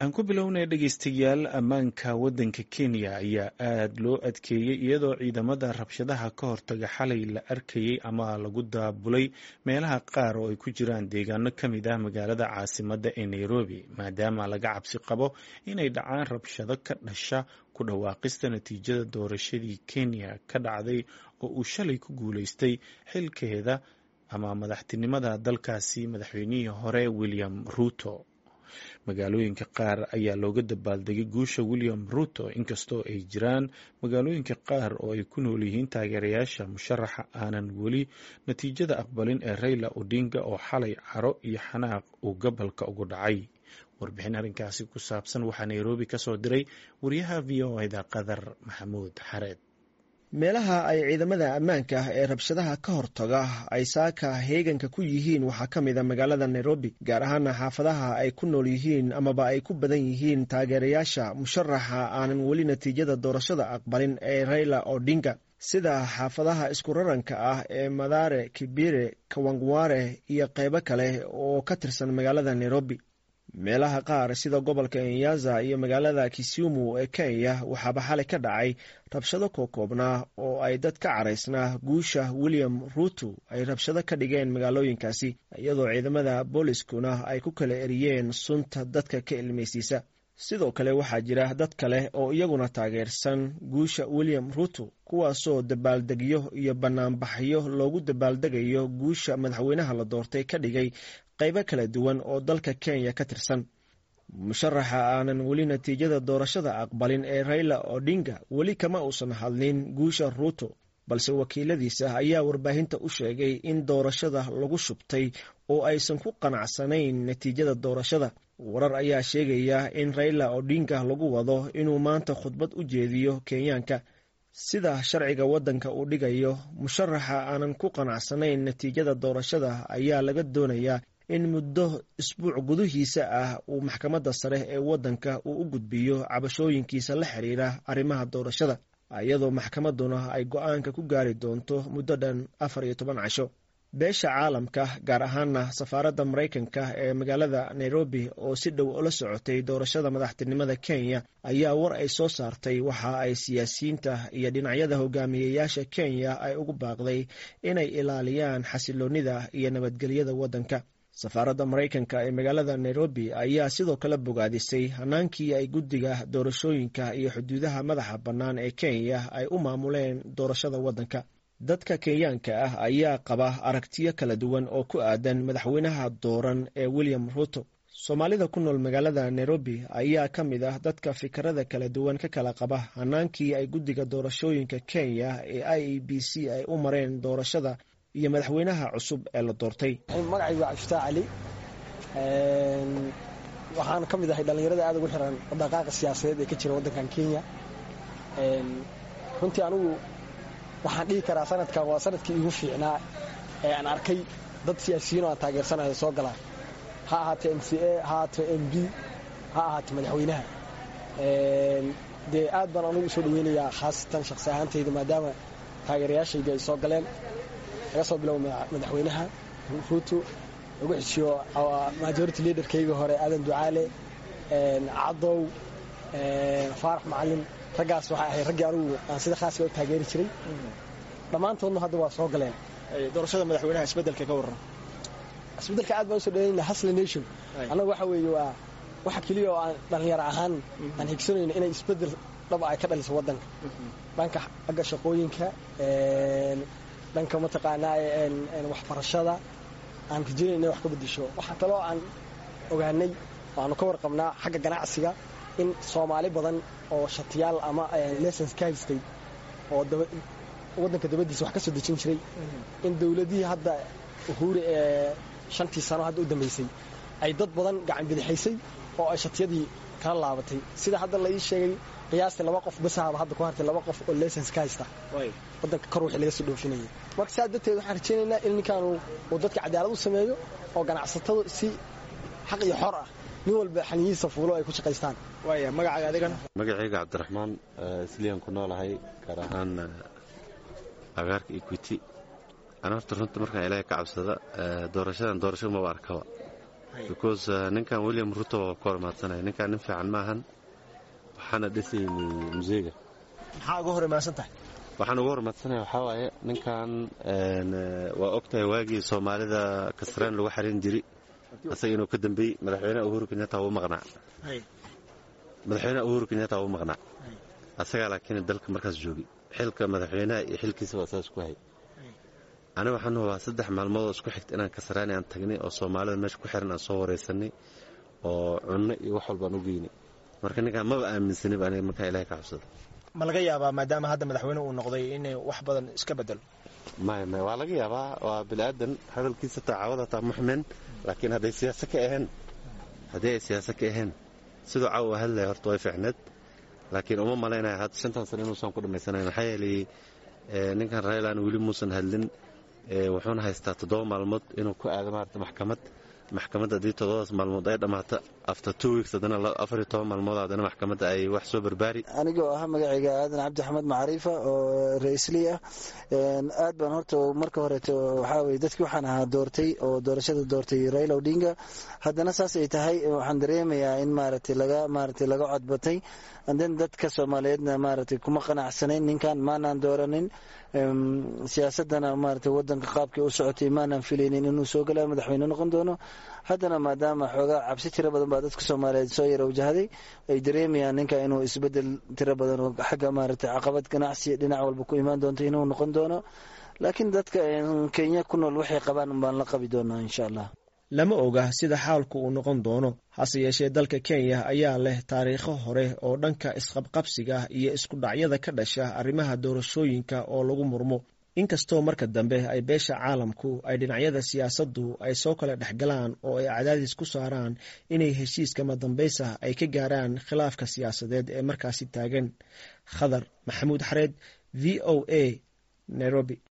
Aan ku bilownay, dhegeystayaal, ammaanka waddanka Kenya ayaa aada loo adkeeyey, iyadoo ciidamada rabshadaha ka hortaga xalay la arkayay ama lagu daabulay meelaha qaar oo ay ku jiraan deegaano ka mid ah magaalada caasimadda ee Nairobi, maadaama laga cabsi qabo inay dhacaan rabshado ka dhasha ku dhawaaqista natiijada doorashadii Kenya ka dhacday oo uu shalay ku guuleystay xilkeeda ama madaxtinimada dalkaasi madaxweynihii hore William Ruto. Magaalooyinka qaar ayaa looga dabaaldegay guusha William Ruto, inkastoo ay jiraan magaalooyinka qaar oo ay ku nool yihiin taageerayaasha musharaxa aanan weli natiijada aqbalin ee Raila Odinga, oo xalay caro iyo xanaaq uu gobolka ugu dhacay. Warbixin arrinkaasi ku saabsan waxaa Nairobi ka soo diray wariyaha VOA-da, Qadar Maxamuud Xareed. Meelaha ay ciidamada ammaanka ah ee rabshadaha ka hortaga ay saaka heeganka ku yihiin waxaa ka mid a magaalada Nairobi, gaar ahaana xaafadaha ay ku nool yihiin amaba ay ku badan yihiin taageerayaasha musharaxa aanan weli natiijada doorashada aqbalin ee Raila Odinga, sida xaafadaha isku raranka ah ee Mathare, Kibera, Kawangware iyo qeybo kale oo ka tirsan magaalada Nairobi. Meelaha qaar sida gobolka Nyanza iyo magaalada Kisumu ee Kenya waxaaba xalay ka dhacay rabshado kokoobnaa oo ay dad ka caraysnaa guusha William Ruto ay rabshado ka dhigeen magaalooyinkaasi, iyadoo ciidamada booliskuna ay ku kala eriyeen sunta dadka ka ilmaysiisa. Sidoo kale waxaa jira dad kale oo iyaguna taageersan guusha William Ruto, kuwaasoo dabaaldegyo iyo banaanbaxyo loogu dabaaldegayo guusha madaxweynaha la doortay ka dhigay qaybo kala duwan oo dalka Kenya ka tirsan. Musharaxa aanan weli natiijada doorashada aqbalin ee Raila Odinga weli kama uusan hadlin guusha Ruto, balse wakiiladiisa ayaa warbaahinta u sheegay in doorashada lagu shubtay oo aysan ku qanacsanayn natiijada doorashada. Warar ayaa sheegaya in Raila Odinga lagu wado inuu maanta khudbad u jeediyo Kenyaanka. Sida sharciga waddanka uu dhigayo, musharaxa aanan ku qanacsanayn natiijada doorashada ayaa laga doonayaa in muddo isbuuc gudihiisa ah uu maxkamadda sare ee waddanka uu u gudbiyo cabashooyinkiisa la xiriira arrimaha doorashada, iyadoo maxkamadduna ay go-aanka ku gaari doonto muddo dhan 14 casho. Beesha caalamka, gaar ahaana safaaradda Maraykanka ee magaalada Nairobi oo si dhow ula socotay doorashada madaxtinimada Kenya, ayaa war ay soo saartay waxa ay siyaasiyiinta iyo dhinacyada hogaamiyeyaasha Kenya ay ugu baaqday inay ilaaliyaan xasiloonnida iyo nabadgelyada waddanka. Safaaradda Maraykanka ee magaalada Nairobi ayaa sidoo kale bogaadisay hanaankii ay guddiga doorashooyinka iyo xuduudaha madaxa bannaan ee Kenya ay u maamuleen doorashada waddanka. Dadka Kenyaanka ah ayaa qaba aragtiyo kala duwan oo ku aadan madaxweynaha dooran ee William Ruto. Soomaalida ku nool magaalada Nairobi ayaa ka mid ah dadka fikrada kala duwan ka kala qaba hanaankii ay guddiga doorashooyinka Kenya ee IEBC ay u mareen doorashada iyo madaxweynaha cusub ee la doortay. Magacaygu waa Cabdifataax Cali. Waxaan ka mid ahay dhallinyarada aad ugu xiran dhaqaaqa siyaasadeed ee ka jira waddankan Kenya. Runtii anigu waxaan dhihi karaa sanadkan waa sanadkii iigu fiicnaa ee aan arkay dad siyaasiyiin oo aan taageersanayo soo galaan, ha ahaatee MCA, ha ahaatee MP, ha ahaatee madaxweynaha. Dee aad baan anugu usoo dhaweynayaa, khaasatan shakhsi ahaantayda, maadaama taageerayaashaydi ay soo galeen, laga soo bilowo madaxweynaha Ruto, lagu xishiyo majority leaderkayga hore Aadan Ducaale, Cadow, Faarax Macalin. Raggaas waxay ahayd raggii anugu aan sida khaaska u taageeri jiray. Dhammaantoodna hadda waa soo galeen. Doorashada madaxweynaha, isbeddelka ka warran? Isbeddelka aad baan usoo dhaweynayna. Hustler Nation annagu waxa weeye waa waxa keliya oo aan dhallinyaro ahaan aan higsanayno, inay isbeddel dhab ay ka dhaliso waddanka, dhanka xagga shaqooyinka, dhanka mataqaanaa waxbarashada aan rajaynayna inay wax ka beddesho. Waxaa kaloo aan ogaanay oo aanu ka warqabnaa xagga ganacsiga in Soomaali badan oo shatiyaal ama license ka haystay oo waddanka dabadiisa wax ka soo dejin jiray in dowladihii hadda Uhuru ee 5-tii sano hadda u dambaysay ay dad badan gacan bidixaysay oo ay shatiyadii kala laabatay. Sida hadda la ii sheegay, qiyaastii laba qof basaaba hadda ku hartay, laba qof oo license ka haysta waddanka kor wixii laga soo dhoofinayay. Marka saa darteed waxaan rajaynaynaa in ninkaanu uu dadka cadaalad u sameeyo oo ganacsatadu si xaq iyo xor ah nin walba xaniyihiisa fuulo ay ku shaqaystaan. Waaya, magacaaga adigana? Magacayga Cabdiraxmaan. Islii aan ku noolahay, gaar ahaan agaarka Equity. Ana horta runta markaan Ilaahay ka cabsada, doorashadan doorasho maba arkaba. Because ninkan William Ruto waa ku hormaadsanaya. Ninkan nin fiican maahan, waxaana dhisayni museega. Maxaa uga hor imaansan tahay? Waxaan uga hormaadsanaya waxaa waaye, ninkan waa ogtahay waagii Soomaalida Kasraan lagu xarin jiray asaga inuu ka dambeeyey. Madaxweynaha Uhuru Kenyatta wuu maqnaa, madaxweynaha Uhuru Kenyatta wuu maqnaa asagaa, laakiin dalka markaas joogay xilka madaxweynaha iyo xilkiisa waa saas ku hay. Aniga waxaan hubaa 3 maalmood oo isku xigta inaan Kasraani aan tagnay oo Soomaalida meesha ku xiran aan soo waraysanay oo cunno iyo wax walbaan u geynay. Marka ninkaan maba aaminsanib aniga, markaa Ilahay ka cabsada. Ma laga yaabaa maadaama hadda madaxweyne uu noqday inay wax badan iska bedelo? Maya, maya, waa laga yaabaa, waa biniaadan, hadalkiisa taacawada taa muxmen, laakiin hadday siyaasa ka ahayn, haddii ay siyaasa ka ahayn siduu caawa hadlaya horta way fiicneed, laakiin uma malaynaya hadda 5tan sano inuusan ku dhammaysanayn. Maxaa yeelay ninkan Raylan weli muusan hadlin, wuxuuna haystaa 7 maalmood inuu ku aado maarata maxkamad. Maxkamadda haddii 7daas maalmood ay dhammaato, after 2 weeks haddana 14 maalmood haddana maxkamadda ay wax soo barbaari. Anigoo ah magacayga Aadan Cabdi Axmed Macriifa oo ra-iislii ah, aad baan horta marka horeeto waxaa weye dadkii waxaan ahaa doortay oo doorashada doortay Raila Odinga. Haddana saas ay tahay, waxaan dareemayaa in maaragtay laga maaragtay laga codbatay, and then dadka Soomaaliyeedna maaragtay kuma qanacsanayn ninkan, maanaan dooranin. Siyaasadana maaragtay wadanka qaabkii u socotay maanaan filaynin inuu soo galaa madaxweyne noqon doono. Haddana maadaama xoogaa cabsi tiro badan baa dadka Soomaaliyeed soo yara wajahday, ay dareemayaan ninka inuu isbedel tiro badan oo xagga maaragtay caqabad ganacsi dhinac walba ku imaan doonto inuu noqon doono, laakiin dadka Kenya ku nool waxay qabaan baan la qabi doonaa insha Allah. Lama oga sida xaalku uu noqon doono, hase yeeshee dalka Kenya ayaa leh taariikho hore oo dhanka isqabqabsiga iyo isku dhacyada ka dhasha arrimaha doorashooyinka oo lagu murmo, inkastoo marka dambe ay beesha caalamku ay dhinacyada siyaasaddu ay soo kala dhexgalaan oo ay cadaadis ku saaraan inay heshiiskama dambaysa ay ka gaaraan khilaafka siyaasadeed ee markaasi taagan. Khadar Maxamuud Xareed, VOA, Nairobi.